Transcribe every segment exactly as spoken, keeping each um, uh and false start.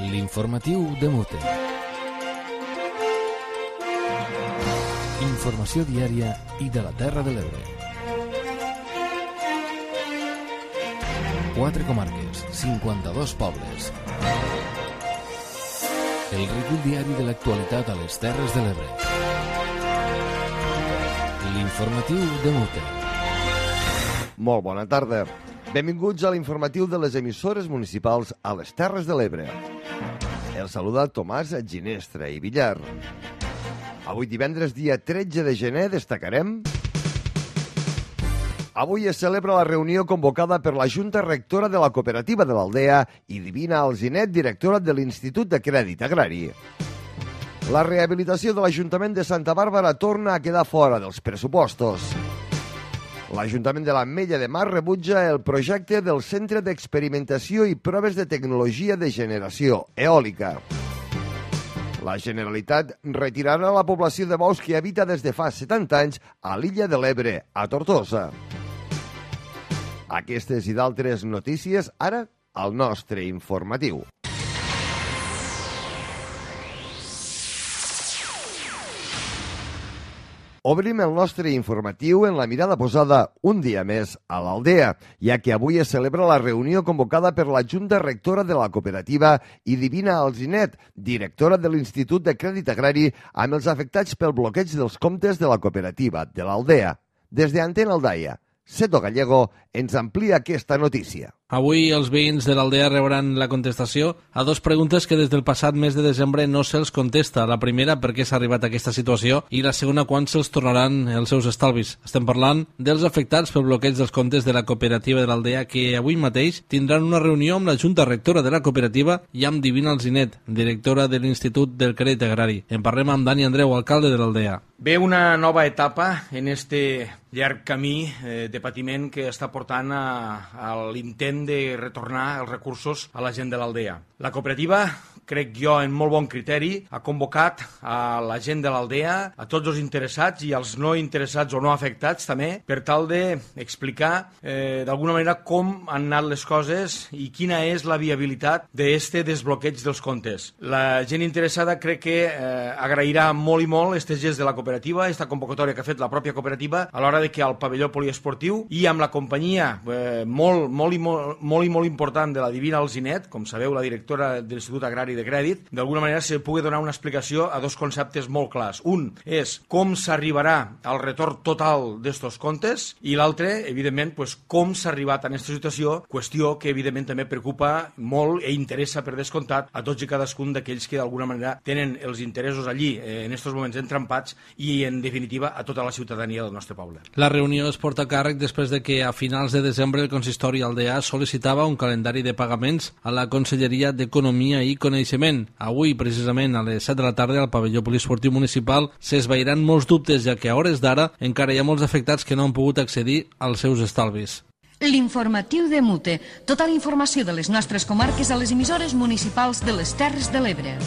L'informatiu de Mute. Informació diària i de la Terra de l'Ebre. Quatre comarques, cinquanta-dos pobles. El recull diari de l'actualitat a les Terres de l'Ebre. L'informatiu de Mute. Molt bona tarda. Benvinguts a l'informatiu de les emissores municipals a les Terres de l'Ebre. El saluda Tomàs Ginestra i Villar. Avui divendres, dia tretze de gener, destacarem... Avui es celebra la reunió convocada per la Junta Rectora de la Cooperativa de l'Aldea i Divina Alzinet, directora de l'Institut de Crèdit Agrari. La rehabilitació de l'Ajuntament de Santa Bàrbara torna a quedar fora dels pressupostos. L'Ajuntament de l'Ametlla de Mar rebutja el projecte del Centre d'Experimentació i Proves de Tecnologia de Generació Eòlica. La Generalitat retirarà la població de bous que habita des de fa setanta anys a l'illa de l'Ebre, a Tortosa. Aquestes i d'altres notícies, ara, al nostre informatiu. Obrim el nostre informatiu en la mirada posada un dia més a l'Aldea, ja que avui es celebra la reunió convocada per la Junta Rectora de la Cooperativa i Divina Alzinet, directora de l'Institut de Crèdit Agrari, amb els afectats pel bloqueig dels comptes de la cooperativa de l'Aldea. Des de Antena Aldaia, Seto Gallego ens amplia aquesta notícia. Avui els veïns de l'Aldea rebran la contestació a dues preguntes que des del passat mes de desembre no se'ls contesta. La primera, per què s'ha arribat a aquesta situació, i la segona, quan se'ls tornaran els seus estalvis. Estem parlant dels afectats pel bloqueig dels comptes de la cooperativa de l'Aldea, que avui mateix tindran una reunió amb la Junta Rectora de la cooperativa i amb Divina Alzinet, directora de l'Institut del Crèdit Agrari. En parlem amb Dani Andreu, alcalde de l'Aldea. Ve una nova etapa en este llarg camí eh, de patiment que està portant a, a l'intent de retornar els recursos a la gent de l'Aldea. La cooperativa, crec jo, en molt bon criteri, ha convocat a la gent de l'Aldea, a tots els interessats i als no interessats o no afectats també, per tal d'explicar eh, d'alguna manera com han anat les coses i quina és la viabilitat d'este desbloqueig dels comptes. La gent interessada crec que eh, agrairà molt i molt este gest de la cooperativa, esta convocatòria que ha fet la pròpia cooperativa a l'hora de que al pavelló poliesportiu i amb la companyia eh, molt, molt, i molt, molt i molt important de la Divina Alzinet, com sabeu, la directora de l'Institut Agrari de Crèdit, d'alguna manera se pugui donar una explicació a dos conceptes molt clars. Un és com s'arribarà al retorn total d'estos comptes i l'altre, evidentment, pues, com s'ha arribat a aquesta situació, qüestió que evidentment també preocupa molt i interessa per descomptat a tots i cadascun d'aquells que d'alguna manera tenen els interessos allí eh, en estos moments entrampats i en definitiva a tota la ciutadania del nostre poble. La reunió es porta a càrrec després de que a finals de desembre el consistori Aldea sol·licitava un calendari de pagaments a la Conselleria d'Economia i Coneixement. Avui, precisament, a les set de la tarda, al pavelló poliesportiu municipal s'esvairan molts dubtes, ja que a hores d'ara encara hi ha molts afectats que no han pogut accedir als seus estalvis. L'informatiu de Mute. Tota la informació de les nostres comarques a les emissores municipals de les Terres de l'Ebre.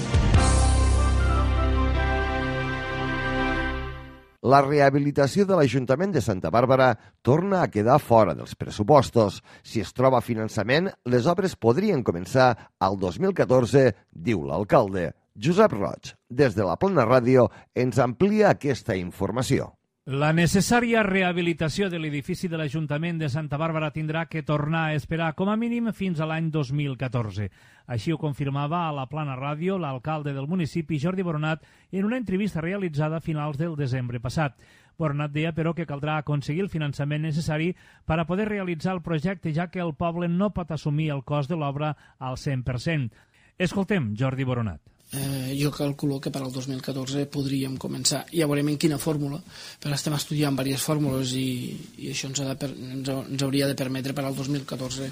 La rehabilitació de l'Ajuntament de Santa Bàrbara torna a quedar fora dels pressupostos. Si es troba finançament, les obres podrien començar al dos mil catorze, diu l'alcalde. Josep Roig, des de la Plana Ràdio, ens amplia aquesta informació. La necessària rehabilitació de l'edifici de l'Ajuntament de Santa Bàrbara tindrà que tornar a esperar com a mínim fins a l'any dos mil catorze. Així ho confirmava a la Plana Ràdio l'alcalde del municipi, Jordi Boronat, en una entrevista realitzada a finals del desembre passat. Boronat deia, però, que caldrà aconseguir el finançament necessari per a poder realitzar el projecte, ja que el poble no pot assumir el cost de l'obra al cent per cent. Escoltem Jordi Boronat. Eh, jo calculo que per al dos mil catorze podríem començar. Ja veurem en quina fórmula, però estem estudiant diverses fórmules i, i això ens, ha de per, ens, ens hauria de permetre per al dos mil catorze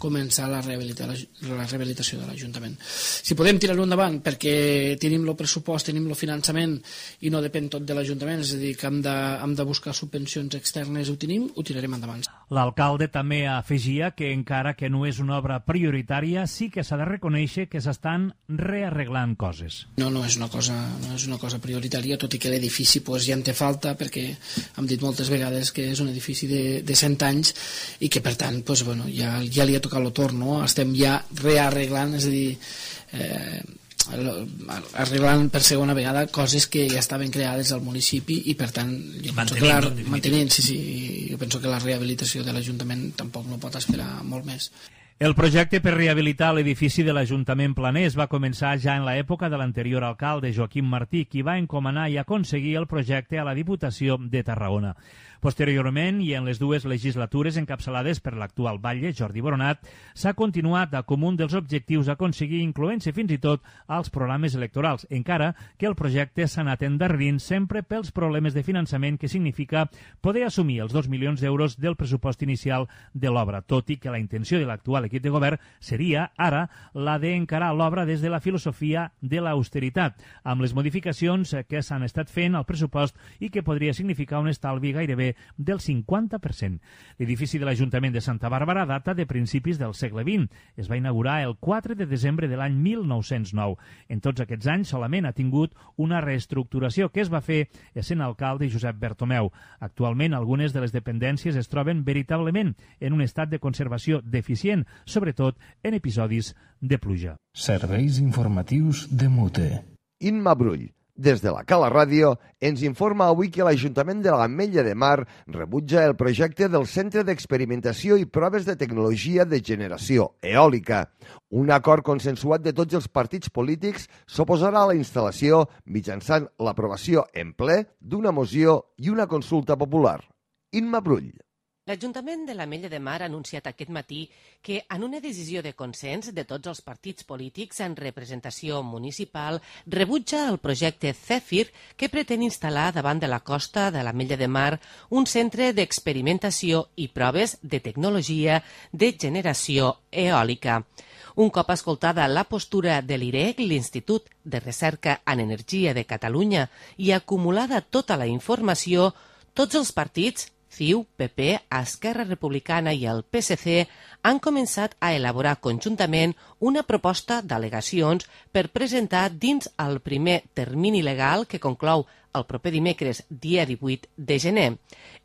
començar la, rehabilita, la, la rehabilitació de l'Ajuntament. Si podem tirar-ho endavant perquè tenim el pressupost, tenim el finançament i no depèn tot de l'Ajuntament, és a dir, que hem de, hem de buscar subvencions externes, ho tenim, ho tirarem endavant. L'alcalde també afegia que encara que no és una obra prioritària, sí que s'ha de reconèixer que s'estan rearreglant coses. No, no és una cosa, no és una cosa prioritària, tot i que l'edifici pues, ja en té falta, perquè hem dit moltes vegades que és un edifici de, de cent anys i que per tant pues, bueno, ja, ja li ha tocat el torn, no? Estem ja rearreglant, és a dir, eh, arribaran per segona vegada coses que ja estaven creades al municipi i per tant jo penso que la, mantenint, sí, sí, jo penso que la rehabilitació de l'Ajuntament tampoc no pot esperar molt més. El projecte per rehabilitar l'edifici de l'Ajuntament Planès va començar ja en l'època de l'anterior alcalde Joaquim Martí, qui va encomanar i aconseguir el projecte a la Diputació de Tarragona. Posteriorment, i en les dues legislatures encapçalades per l'actual batlle, Jordi Boronat, s'ha continuat com un dels objectius a aconseguir, incloent-se fins i tot als programes electorals, encara que el projecte s'ha anat endarrerint sempre pels problemes de finançament que significa poder assumir els dos milions d'euros del pressupost inicial de l'obra, tot i que la intenció de l'actual equip de govern seria, ara, la d'encarar l'obra des de la filosofia de l'austeritat, amb les modificacions que s'han estat fent al pressupost i que podria significar un estalvi gairebé del cinquanta per cent. L'edifici de l'Ajuntament de Santa Bàrbara data de principis del segle vint. Es va inaugurar el quatre de desembre de l'any mil nou-cents nou. En tots aquests anys solament ha tingut una reestructuració que es va fer essent alcalde Josep Bertomeu. Actualment, algunes de les dependències es troben veritablement en un estat de conservació deficient, sobretot en episodis de pluja. Serveis informatius de Mute. Imma Brull, des de la Cala Ràdio, ens informa avui que l'Ajuntament de l'Ametlla de Mar rebutja el projecte del Centre d'Experimentació i Proves de Tecnologia de Generació Eòlica. Un acord consensuat de tots els partits polítics s'oposarà a la instal·lació mitjançant l'aprovació en ple d'una moció i una consulta popular. Imma Brull. L'Ajuntament de l'Ametlla de Mar ha anunciat aquest matí que, en una decisió de consens de tots els partits polítics en representació municipal, rebutja el projecte Zèfir que pretén instal·lar davant de la costa de l'Ametlla de Mar un centre d'experimentació i proves de tecnologia de generació eòlica. Un cop escoltada la postura de l'I R E C, l'Institut de Recerca en Energia de Catalunya, i acumulada tota la informació, tots els partits, C I U, P P, Esquerra Republicana i el P S C han començat a elaborar conjuntament una proposta d'al·legacions per presentar dins el primer termini legal que conclou el proper dimecres, dia divuit de gener.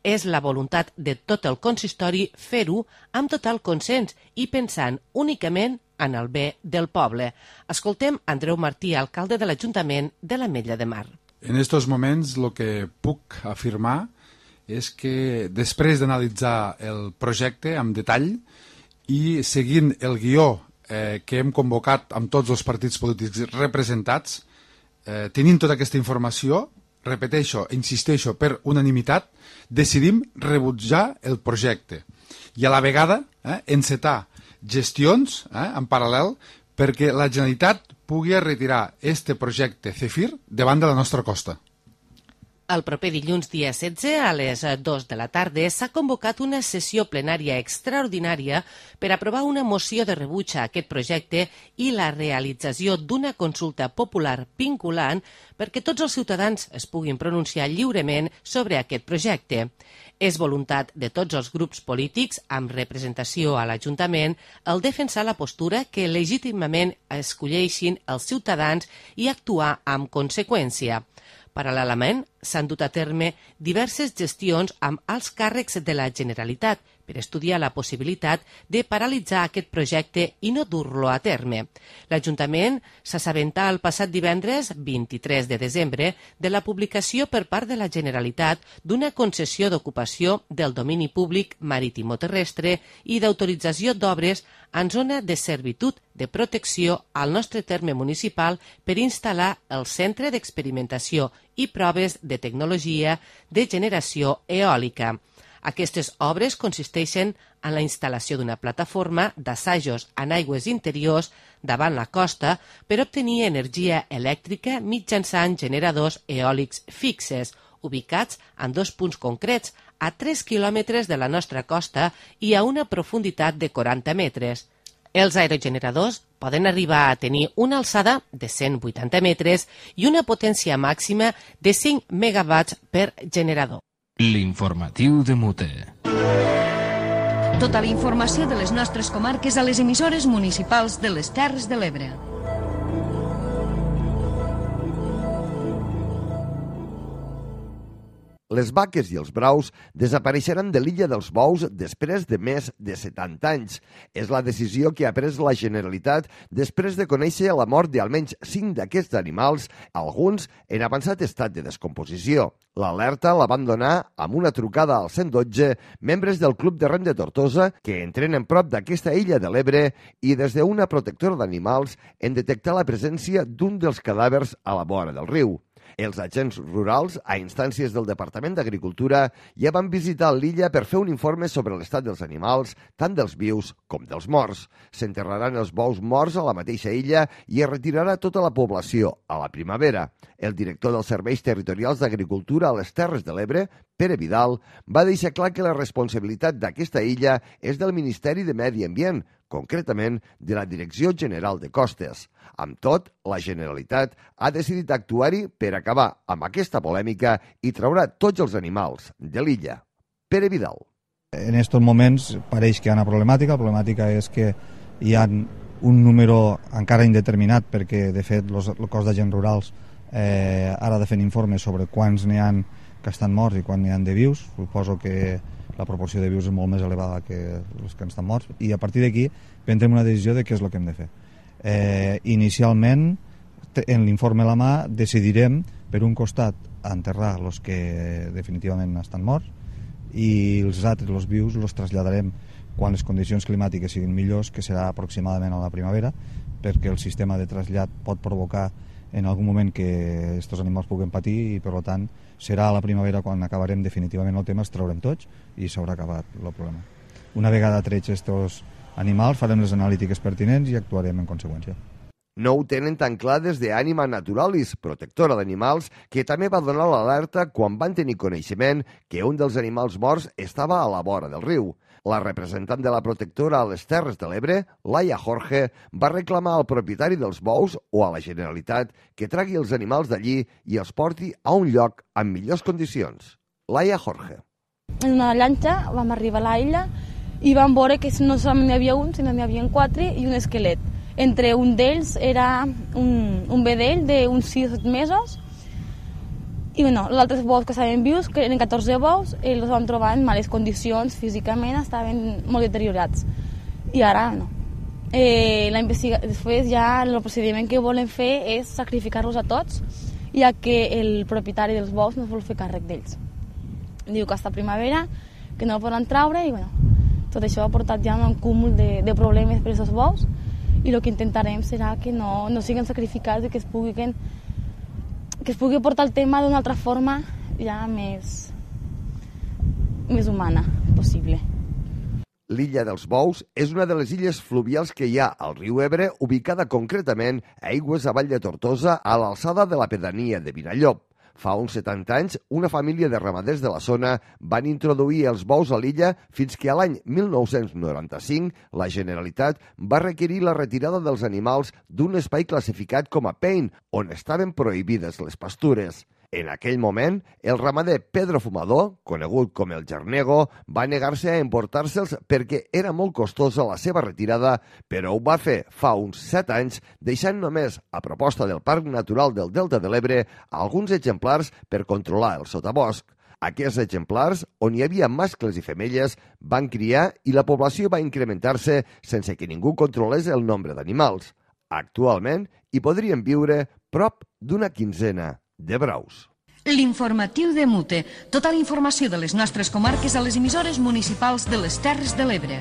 És la voluntat de tot el consistori fer-ho amb total consens i pensant únicament en el bé del poble. Escoltem Andreu Martí, alcalde de l'Ajuntament de l'Ametlla de Mar. En estos moments el que puc afirmar és que després d'analitzar el projecte amb detall i seguint el guió eh, que hem convocat amb tots els partits polítics representats, eh, tenint tota aquesta informació, repeteixo, insisteixo, per unanimitat, decidim rebutjar el projecte i a la vegada eh, encetar gestions eh, en paral·lel perquè la Generalitat pugui retirar este projecte Zèfir davant de la nostra costa. El proper dilluns, dia setze, a les dues de la tarda, s'ha convocat una sessió plenària extraordinària per aprovar una moció de rebuig a aquest projecte i la realització d'una consulta popular vinculant perquè tots els ciutadans es puguin pronunciar lliurement sobre aquest projecte. És voluntat de tots els grups polítics amb representació a l'Ajuntament el defensar la postura que legítimament escolleixin els ciutadans i actuar amb conseqüència. Paral·lelament, s'han dut a terme diverses gestions amb alts càrrecs de la Generalitat per estudiar la possibilitat de paralitzar aquest projecte i no dur-lo a terme. L'Ajuntament s'assabentà el passat divendres, vint-i-tres de desembre, de la publicació per part de la Generalitat d'una concessió d'ocupació del domini públic marítimo-terrestre i d'autorització d'obres en zona de servitud de protecció al nostre terme municipal per instal·lar el Centre d'Experimentació i Proves de Tecnologia de Generació Eòlica. Aquestes obres consisteixen en la instal·lació d'una plataforma d'assajos en aigües interiors davant la costa per obtenir energia elèctrica mitjançant generadors eòlics fixes, ubicats en dos punts concrets, a tres quilòmetres de la nostra costa i a una profunditat de quaranta metres. Els aerogeneradors poden arribar a tenir una alçada de cent vuitanta metres i una potència màxima de cinc megawatts per generador. L'informatiu de Mute. Tota la informació de les nostres comarques a les emissores municipals de les Terres de l'Ebre. Les vaques i els braus desapareixeran de l'illa dels Bous després de més de setanta anys. És la decisió que ha pres la Generalitat després de conèixer la mort d'almenys cinc d'aquests animals, alguns en avançat estat de descomposició. L'alerta la van donar amb una trucada al cent dotze membres del Club de Rem de Tortosa que entrenen prop d'aquesta illa de l'Ebre i des d'una protectora d'animals en detectar la presència d'un dels cadàvers a la vora del riu. Els agents rurals, a instàncies del Departament d'Agricultura, ja van visitar l'illa per fer un informe sobre l'estat dels animals, tant dels vius com dels morts. S'enterraran els bous morts a la mateixa illa i es retirarà tota la població a la primavera. El director dels Serveis Territorials d'Agricultura a les Terres de l'Ebre, Pere Vidal, va deixar clar que la responsabilitat d'aquesta illa és del Ministeri de Medi Ambient, concretament de la Direcció General de Costes. Amb tot, la Generalitat ha decidit actuar-hi per acabar amb aquesta polèmica i traurà tots els animals de l'illa. Pere Vidal. En aquests moments pareix que hi ha una problemàtica. La problemàtica és que hi ha un número encara indeterminat perquè, de fet, los, el cos d'agents rurals eh, ara ha de fer informes sobre quants n'hi ha que estan morts i quants n'hi ha de vius. Suposo que la proporció de vius és molt més elevada que els que estan morts, i a partir d'aquí prendrem una decisió de què és el que hem de fer. Eh, inicialment, en l'informe a la mà, decidirem, per un costat, enterrar els que definitivament estan morts, i els altres, els vius, els traslladarem quan les condicions climàtiques siguin millors, que serà aproximadament a la primavera, perquè el sistema de trasllat pot provocar en algun moment que aquests animals puguen patir i, per tant, serà a la primavera quan acabarem definitivament el tema, els traurem tots i s'haurà acabat el problema. Una vegada trets aquests animals, farem les analítiques pertinents i actuarem en conseqüència. No ho tenen tan clar des d'Anima Naturalis, protectora d'animals, que també va donar l'alerta quan van tenir coneixement que un dels animals morts estava a la vora del riu. La representant de la protectora a les Terres de l'Ebre, Laia Jorge, va reclamar al propietari dels bous o a la Generalitat que tragui els animals d'allí i els porti a un lloc amb millors condicions. Laia Jorge. En una llanxa vam arribar a l'illa i vam veure que no solament n'hi havia un, sinó n'hi havia quatre i un esquelet. Entre un d'ells era un, un vedell d'uns sis o set mesos i bueno, els altres bous que estaven vius, que eren catorze bous, els vam trobar en males condicions, físicament estaven molt deteriorats. I ara no. Eh, la investiga... Després ja el procediment que volen fer és sacrificar-los a tots, ja que el propietari dels bous no vol fer càrrec d'ells. Diu que hasta primavera, que no el poden traure i bueno, tot això ha portat ja un cúmul de, de problemes per aquests bous i el que intentarem serà que no, no siguin sacrificats i que es puguin que es pugui portar el tema d'una altra forma ja més, més humana possible. L'illa dels Bous és una de les illes fluvials que hi ha al riu Ebre, ubicada concretament a aigües avall de Tortosa, a l'alçada de la pedania de Vinallop. Fa uns setanta anys, una família de ramaders de la zona van introduir els bous a l'illa fins que a l'any mil nou-cents noranta-cinc la Generalitat va requerir la retirada dels animals d'un espai classificat com a P E I N, on estaven prohibides les pastures. En aquell moment, el ramader Pedro Fumador, conegut com el Gernego, va negar-se a emportar-se'ls perquè era molt costosa la seva retirada, però ho va fer fa uns set anys, deixant només, a proposta del Parc Natural del Delta de l'Ebre, alguns exemplars per controlar el sotabosc. Aquests exemplars, on hi havia mascles i femelles, van criar i la població va incrementar-se sense que ningú controlés el nombre d'animals. Actualment, hi podrien viure prop d'una quinzena de braus. L'informatiu de Mute. Tota la informació de les nostres comarques a les emissores municipals de les Terres de l'Ebre.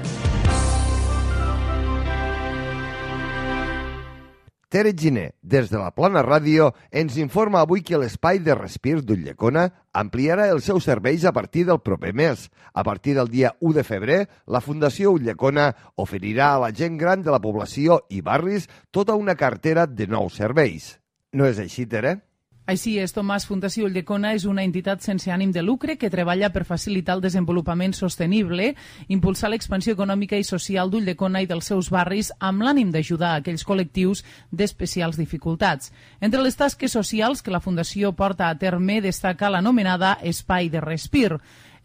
Tere Giner, des de la Plana Ràdio, ens informa avui que l'espai de respir d'Ulldecona ampliarà els seus serveis a partir del proper mes. A partir del dia u de febrer, la Fundació Ulldecona oferirà a la gent gran de la població i barris tota una cartera de nous serveis. No és així, Tere? Així és, Tomàs. Fundació Ulldecona és una entitat sense ànim de lucre que treballa per facilitar el desenvolupament sostenible, impulsar l'expansió econòmica i social d'Ulldecona i dels seus barris amb l'ànim d'ajudar a aquells col·lectius d'especials dificultats. Entre les tasques socials que la Fundació porta a terme destaca l'anomenada Espai de Respir.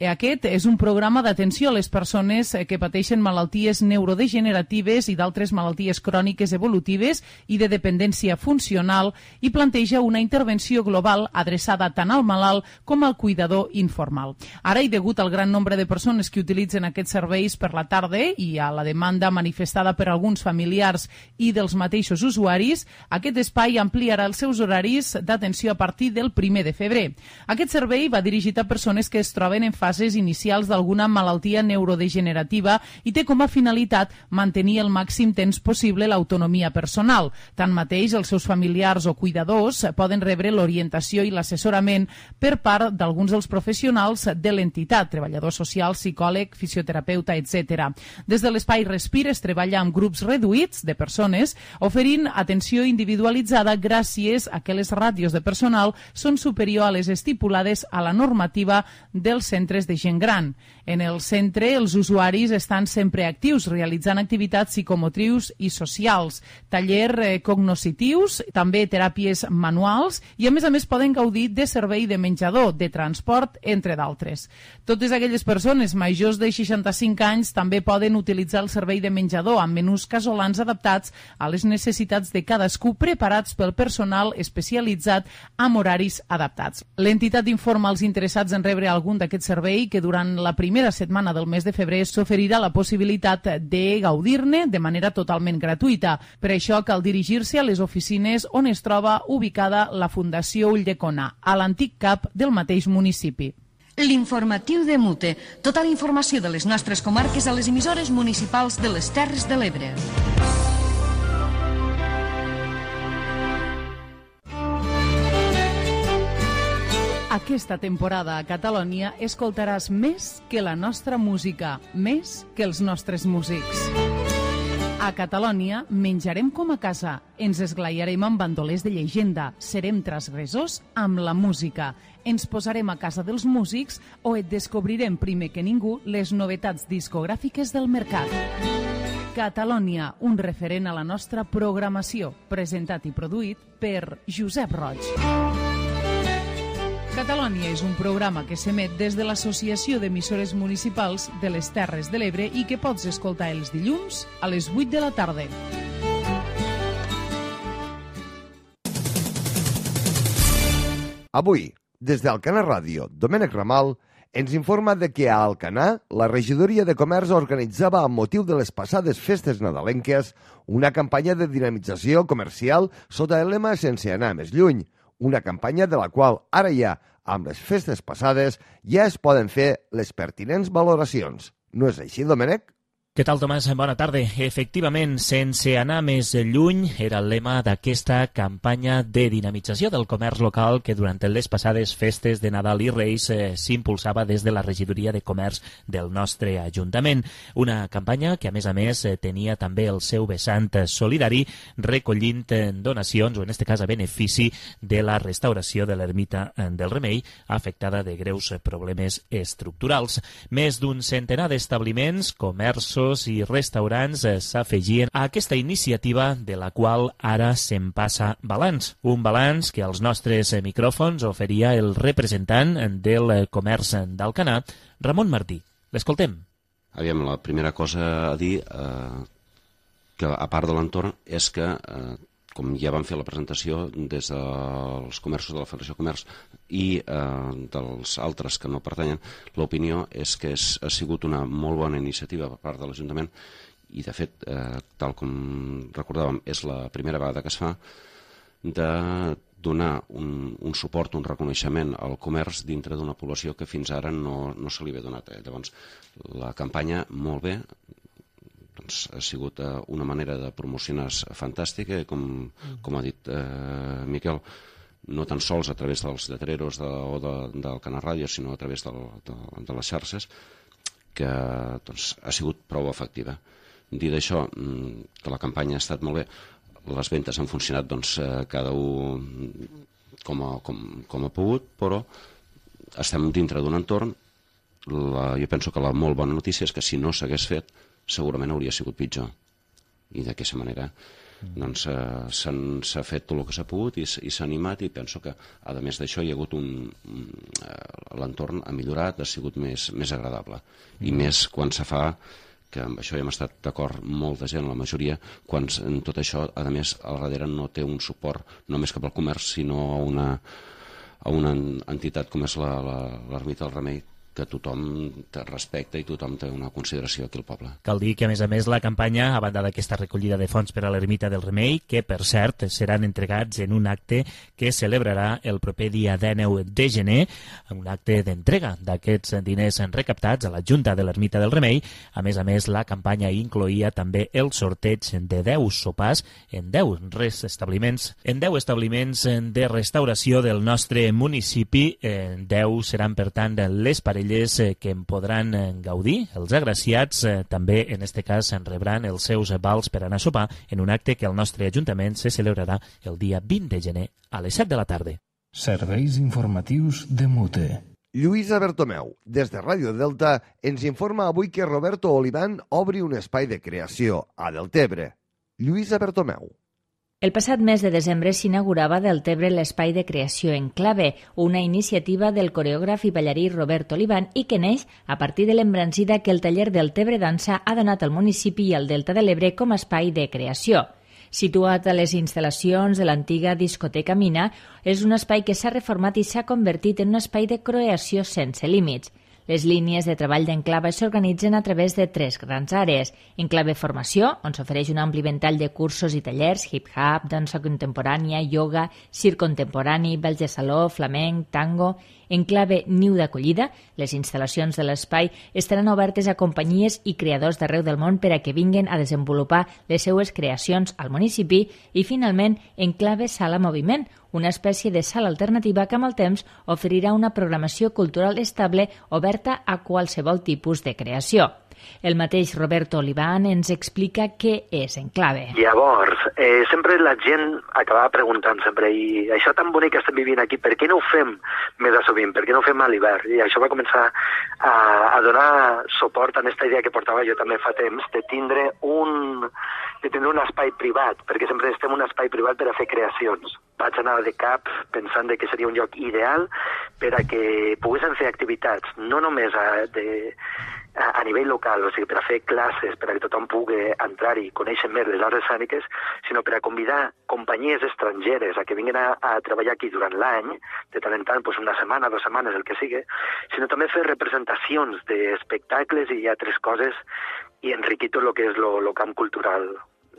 Aquest és un programa d'atenció a les persones que pateixen malalties neurodegeneratives i d'altres malalties cròniques evolutives i de dependència funcional i planteja una intervenció global adreçada tant al malalt com al cuidador informal. Ara, i degut al gran nombre de persones que utilitzen aquests serveis per la tarda i a la demanda manifestada per alguns familiars i dels mateixos usuaris, aquest espai ampliarà els seus horaris d'atenció a partir del primer de febrer. Aquest servei va dirigit a persones que es troben en fases inicials d'alguna malaltia neurodegenerativa i té com a finalitat mantenir el màxim temps possible l'autonomia personal. Tanmateix, els seus familiars o cuidadors poden rebre l'orientació i l'assessorament per part d'alguns dels professionals de l'entitat, treballador social, psicòleg, fisioterapeuta, etcètera. Des de l'espai Respir es treballa amb grups reduïts de persones, oferint atenció individualitzada gràcies a que les ràtios de personal són superior a les estipulades a la normativa dels centres de gent gran. En el centre, els usuaris estan sempre actius, realitzant activitats psicomotrius i socials, taller eh, cognoscitius, també teràpies manuals i, a més a més, poden gaudir de servei de menjador, de transport, entre d'altres. Totes aquelles persones majors de seixanta-cinc anys també poden utilitzar el servei de menjador amb menús casolans adaptats a les necessitats de cadascú, preparats pel personal especialitzat amb horaris adaptats. L'entitat informa als interessats en rebre algun d'aquest servei que durant la primera setmana del mes de febrer s'oferirà la possibilitat de gaudir-ne de manera totalment gratuïta. Per això cal dirigir-se a les oficines on es troba ubicada la Fundació Ulldecona, a l'antic cap del mateix municipi. L'informatiu de Mute. Tota la informació de les nostres comarques a les emissores municipals de les Terres de l'Ebre. Aquesta temporada a Catalònia escoltaràs més que la nostra música, més que els nostres músics. A Catalònia menjarem com a casa, ens esglaiarem amb bandolers de llegenda, serem transgressors amb la música, ens posarem a casa dels músics o et descobrirem primer que ningú les novetats discogràfiques del mercat. Catalònia, un referent a la nostra programació, presentat i produït per Josep Roig. Catalònia és un programa que s'emet des de l'Associació d'Emissores Municipals de les Terres de l'Ebre i que pots escoltar els dilluns a les vuit de la tarda. Avui, des d'Alcanar Ràdio, Domènec Ramal ens informa de que a Alcanar la regidoria de comerç organitzava amb motiu de les passades festes nadalenques una campanya de dinamització comercial sota el lema Sense anar més lluny, una campanya de la qual ara ja, amb les festes passades, ja es poden fer les pertinents valoracions. No és així, Domènec? Què tal, Tomàs? Bona tarda. Efectivament, sense anar més lluny, era el lema d'aquesta campanya de dinamització del comerç local que durant les passades festes de Nadal i Reis eh, s'impulsava des de la regidoria de comerç del nostre Ajuntament. Una campanya que, a més a més, eh, tenia també el seu vessant solidari, recollint eh, donacions, o en aquest cas a benefici de la restauració de l'ermita del Remei, afectada de greus problemes estructurals. Més d'un centenar d'establiments, comerços i restaurants s'afegien a aquesta iniciativa de la qual ara se'n passa balanç. Un balanç que als nostres micròfons oferia el representant del comerç d'Alcanar, Ramon Martí. L'escoltem. Aviam, la primera cosa a dir, eh, que a part de l'entorn, és que, eh, com ja vam fer la presentació des dels comerços de la Federació de Comerç i eh, dels altres que no pertanyen, l'opinió és que és, ha sigut una molt bona iniciativa per part de l'Ajuntament i, de fet, eh, tal com recordàvem, és la primera vegada que es fa, de donar un, un suport, un reconeixement al comerç dintre d'una població que fins ara no, no se li havia donat. Eh? Llavors, la campanya, molt bé, doncs, ha sigut eh, una manera de promocionar fantàstica, com, com ha dit eh, Miquel, no tan sols a través dels lletreros de, o de, del Canal Ràdio, sinó a través del, de, de les xarxes, que doncs, ha sigut prou efectiva. Dit això, que la campanya ha estat molt bé, les ventes han funcionat doncs, cada un com a, com, com ha pogut, però estem dintre d'un entorn. La, jo penso que la molt bona notícia és que si no s'hagués fet, segurament hauria sigut pitjor. i d'aquesta manera doncs s'ha fet tot el que s'ha pogut i s'ha animat, i penso que a més d'això hi ha hagut un... l'entorn ha millorat, ha sigut més agradable, i més quan se fa, que amb això ja hem estat d'acord molta gent, la majoria, quan tot això a més al darrere no té un suport només cap al comerç, sinó a una a una entitat com és l'Ermita del Remei, que tothom te respecta i tothom té una consideració aquí al poble. Cal dir que, a més a més, la campanya, a banda d'aquesta recollida de fons per a l'Ermita del Remei, que, per cert, seran entregats en un acte que celebrarà el proper dia dinou de gener, un acte d'entrega d'aquests diners recaptats a la Junta de l'Ermita del Remei. A més a més, la campanya incloïa també el sorteig de deu sopars en deu establiments, en deu establiments de restauració del nostre municipi. deu seran, per tant, les parelles que en podran gaudir. Els agraciats també, en aquest cas, en rebran els seus vals per anar a sopar en un acte que el nostre Ajuntament se celebrarà el dia vint de gener a les set de la tarda. Serveis informatius de Mute. Lluïsa Bertomeu, des de Ràdio Delta, ens informa avui que Roberto Oliván obri un espai de creació a Deltebre. Lluïsa Bertomeu. El passat mes de desembre s'inaugurava a Deltebre l'Espai de Creació Enclave, una iniciativa del coreògraf i ballarí Roberto Oliván i que neix a partir de l'embranzida que el taller Deltebre Dansa ha donat al municipi i al Delta de l'Ebre com a espai de creació. Situat a les instal·lacions de l'antiga discoteca Mina, és un espai que s'ha reformat i s'ha convertit en un espai de creació sense límits. Les línies de treball d'Enclave s'organitzen a través de tres grans àrees. Enclave Formació, on s'ofereix un ampli ventall de cursos i tallers, hip-hop, dansa contemporània, ioga, circ contemporani, balls de saló, flamenc, tango. Enclave Niu d'Acollida, les instal·lacions de l'espai estaran obertes a companyies i creadors d'arreu del món per a que vinguin a desenvolupar les seues creacions al municipi. I, finalment, Enclave Sala Moviment, una espècie de sala alternativa que amb el temps oferirà una programació cultural estable oberta a qualsevol tipus de creació. El mateix Roberto Oliván ens explica què és Enclave. Llavors, eh, sempre la gent acabava preguntant sempre, i això tan bonic que estem vivint aquí, per què no ho fem més a sovint, per què no ho fem a l'hivern? I això va començar a, a donar suport a aquesta idea que portava jo també fa temps, de tindre un, de tindre un espai privat, perquè sempre estem en un espai privat per a fer creacions. Vaig anar de cap pensant que seria un lloc ideal per a que poguessin fer activitats, no només a, de, a, a nivell local, o sigui, per a fer classes, per a que tothom pugui entrar i conèixer més les arts escèniques, sinó per a convidar companyies estrangeres a que vinguin a, a treballar aquí durant l'any, de tant en tant, doncs una setmana, dues setmanes, el que sigui, sinó també fer representacions d'espectacles i altres coses i enriquir tot el que és el camp cultural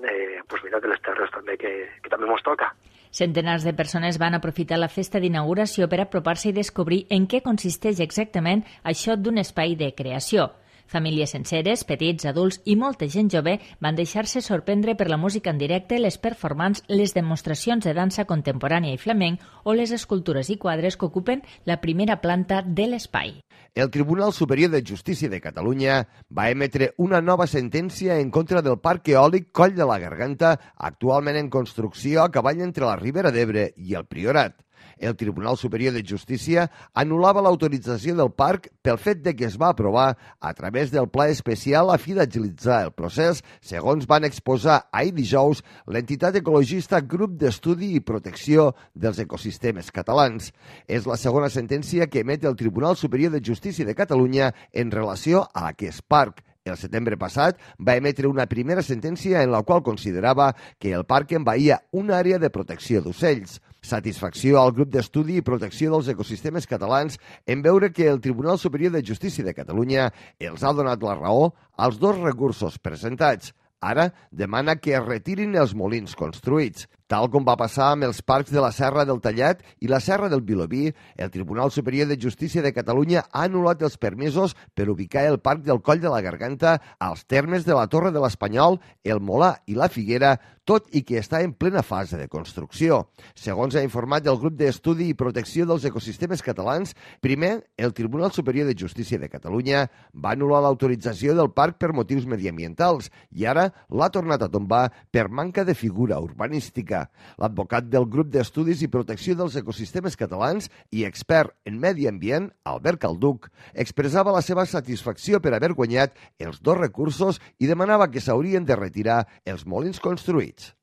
eh, pues mira, de les terres també, que, que també mos toca. Centenars de persones van aprofitar la festa d'inauguració per apropar-se i descobrir en què consisteix exactament això d'un espai de creació. Famílies senceres, petits, adults i molta gent jove van deixar-se sorprendre per la música en directe, les performances, les demostracions de dansa contemporània i flamenc o les escultures i quadres que ocupen la primera planta de l'espai. El Tribunal Superior de Justícia de Catalunya va emetre una nova sentència en contra del parc eòlic Coll de la Garganta, actualment en construcció a cavall entre la Ribera d'Ebre i el Priorat. El Tribunal Superior de Justícia anul·lava l'autorització del parc pel fet de que es va aprovar a través del Pla Especial a fi d'agilitzar el procés, segons van exposar ahir dijous l'entitat ecologista Grup d'Estudi i Protecció dels Ecosistemes Catalans. És la segona sentència que emet el Tribunal Superior de Justícia de Catalunya en relació a aquest parc. El setembre passat va emetre una primera sentència en la qual considerava que el parc envaïa una àrea de protecció d'ocells. Satisfacció al Grup d'Estudi i Protecció dels Ecosistemes Catalans en veure que el Tribunal Superior de Justícia de Catalunya els ha donat la raó als dos recursos presentats. Ara demana que es retirin els molins construïts. Tal com va passar amb els parcs de la Serra del Tallat i la Serra del Vilobí, el Tribunal Superior de Justícia de Catalunya ha anul·lat els permisos per ubicar el Parc del Coll de la Garganta als termes de la Torre de l'Espanyol, el Molà i la Figuera, tot i que està en plena fase de construcció. Segons ha informat el Grup d'Estudi i Protecció dels Ecosistemes Catalans, primer, el Tribunal Superior de Justícia de Catalunya va anul·lar l'autorització del parc per motius mediambientals i ara l'ha tornat a tombar per manca de figura urbanística. Garcia. L'advocat del grup d'estudis i protecció dels ecosistemes catalans i expert en medi ambient, Albert Calduc, expressava la seva satisfacció per haver guanyat els dos recursos i demanava que s'haurien de retirar els molins construïts.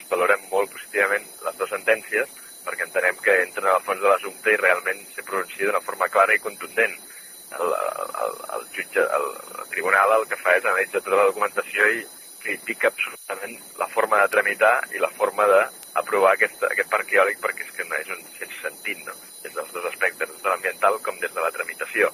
Valorem molt positivament les dues sentències perquè entenem que entren al fons de l'assumpte i realment se pronuncia d'una forma clara i contundent. El, el, el, jutge, el, el tribunal el que fa és analitzar tota la documentació i critica absolutament la forma de tramitar i la forma d'aprovar aquest, aquest parc eòlic perquè és que no és un sense sentit, no? Des dels dos aspectes, des de l'ambiental com des de la tramitació.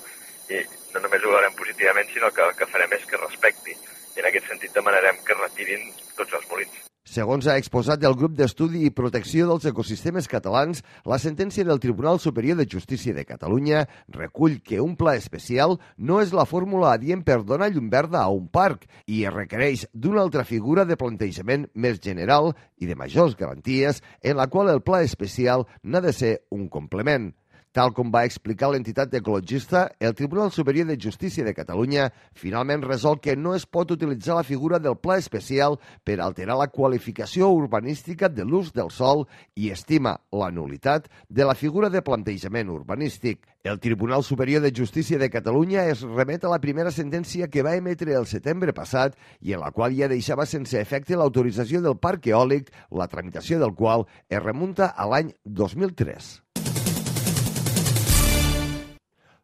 I no només ho veurem positivament, sinó que el que farem és que respecti. I en aquest sentit demanarem que retirin tots els molins. Segons ha exposat el grup d'estudi i protecció dels ecosistemes catalans, la sentència del Tribunal Superior de Justícia de Catalunya recull que un pla especial no és la fórmula adient per donar llum verda a un parc i es requereix d'una altra figura de plantejament més general i de majors garanties en la qual el pla especial n'ha de ser un complement. Tal com va explicar l'entitat ecologista, el Tribunal Superior de Justícia de Catalunya finalment resol que no es pot utilitzar la figura del pla especial per alterar la qualificació urbanística de l'ús del sòl i estima la nulitat de la figura de plantejament urbanístic. El Tribunal Superior de Justícia de Catalunya es remet a la primera sentència que va emetre el setembre passat i en la qual ja deixava sense efecte l'autorització del parc eòlic, la tramitació del qual es remunta a l'any dos mil tres.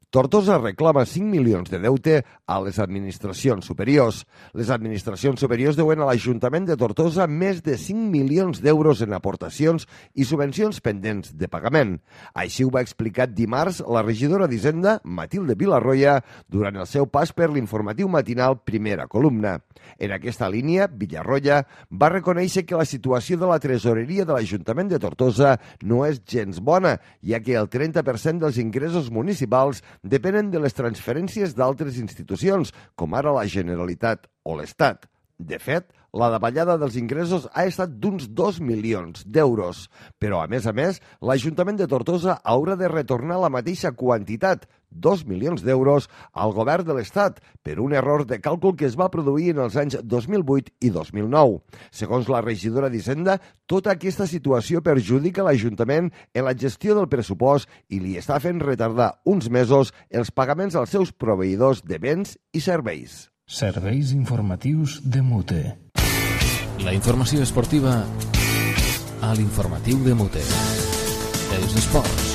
Tortosa reclama cinc milions de deute a les administracions superiors. Les administracions superiors deuen a l'Ajuntament de Tortosa més de cinc milions d'euros en aportacions i subvencions pendents de pagament. Així ho va explicar dimarts la regidora d'Hisenda, Matilde Vilarroya, durant el seu pas per l'informatiu matinal Primera Columna. En aquesta línia, Vilarroya va reconèixer que la situació de la tresoreria de l'Ajuntament de Tortosa no és gens bona, ja que el trenta per cent dels ingressos municipals depenen de les transferències d'altres institucions, com ara la Generalitat o l'Estat. De fet, la davallada dels ingressos ha estat d'uns dos milions d'euros. Però, a més a més, l'Ajuntament de Tortosa haurà de retornar la mateixa quantitat, dos milions d'euros, al govern de l'Estat per un error de càlcul que es va produir en els anys dos mil vuit i dos mil nou. Segons la regidora d'Hisenda, tota aquesta situació perjudica l'Ajuntament en la gestió del pressupost i li està fent retardar uns mesos els pagaments als seus proveïdors de béns i serveis. Serveis informatius de Mute. La informació esportiva a l'informatiu de Mute. Els esports.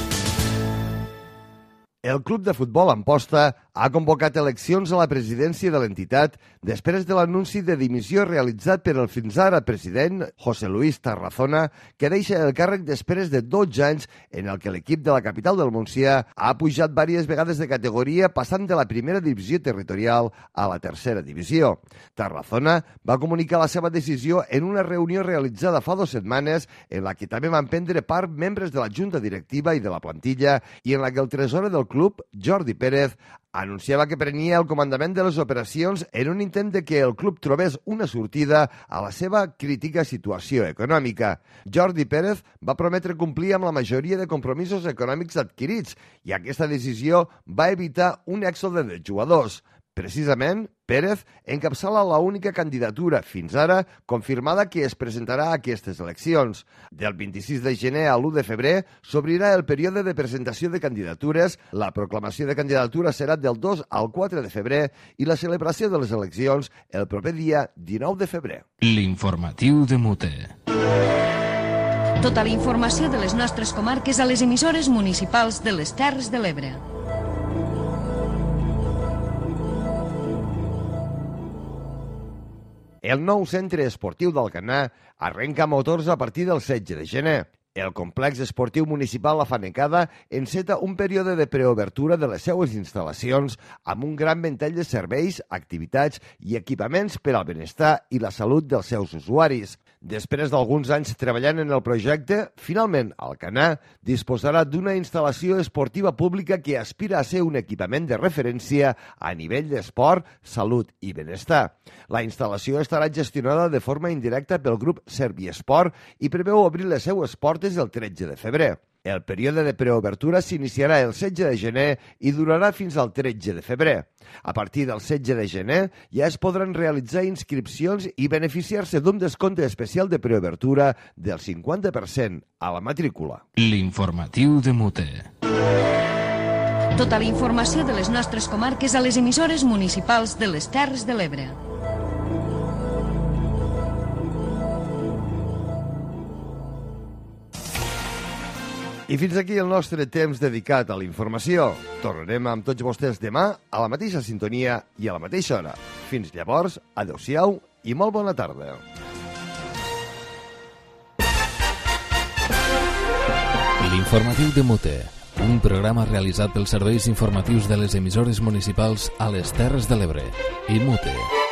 El club de futbol Amposta ha convocat eleccions a la presidència de l'entitat després de l'anunci de dimissió realitzat per el fins ara president José Luis Tarazona, que deixa el càrrec després de dotze anys en el que l'equip de la capital del Montsià ha pujat diverses vegades de categoria, passant de la primera divisió territorial a la tercera divisió. Tarazona va comunicar la seva decisió en una reunió realitzada fa dues setmanes en la que també van prendre part membres de la junta directiva i de la plantilla i en la que el tresorer del club, Jordi Pérez, anunciava que prenia el comandament de les operacions en un intent de que el club trobés una sortida a la seva crítica situació econòmica. Jordi Pérez va prometre complir amb la majoria de compromisos econòmics adquirits i aquesta decisió va evitar un èxode de jugadors. Precisament, Pérez encapçala la única candidatura fins ara confirmada que es presentarà a aquestes eleccions. Del vint-i-sis de gener a l'u de febrer s'obrirà el període de presentació de candidatures, la proclamació de candidatura serà del dos al quatre de febrer i la celebració de les eleccions el proper dia dinou de febrer. L'informatiu de Mute. Tota la informació de les nostres comarques a les emissores municipals de les Terres de l'Ebre. El nou centre esportiu d'Alcanar arrenca motors a partir del setze de gener. El complex esportiu municipal La Fanecada enceta un període de preobertura de les seues instal·lacions amb un gran ventall de serveis, activitats i equipaments per al benestar i la salut dels seus usuaris. Després d'alguns anys treballant en el projecte, finalment Alcanar disposarà d'una instal·lació esportiva pública que aspira a ser un equipament de referència a nivell d'esport, salut i benestar. La instal·lació estarà gestionada de forma indirecta pel grup Serviesport i preveu obrir les seues portes el tretze de febrer. El període de preobertura s'iniciarà el setze de gener i durarà fins al tretze de febrer. A partir del setze de gener ja es podran realitzar inscripcions i beneficiar-se d'un descompte especial de preobertura del cinquanta per cent a la matrícula. L'informatiu de Mute. Tota la informació de les nostres comarques a les emissores municipals de les Terres de l'Ebre. I fins aquí el nostre temps dedicat a la informació. Tornarem amb tots vostès demà a la mateixa sintonia i a la mateixa hora. Fins llavors, adeu-siau i molt bona tarda. L'informatiu de Mute, un programa realitzat pels serveis informatius de les emissores municipals a les Terres de l'Ebre i Mute.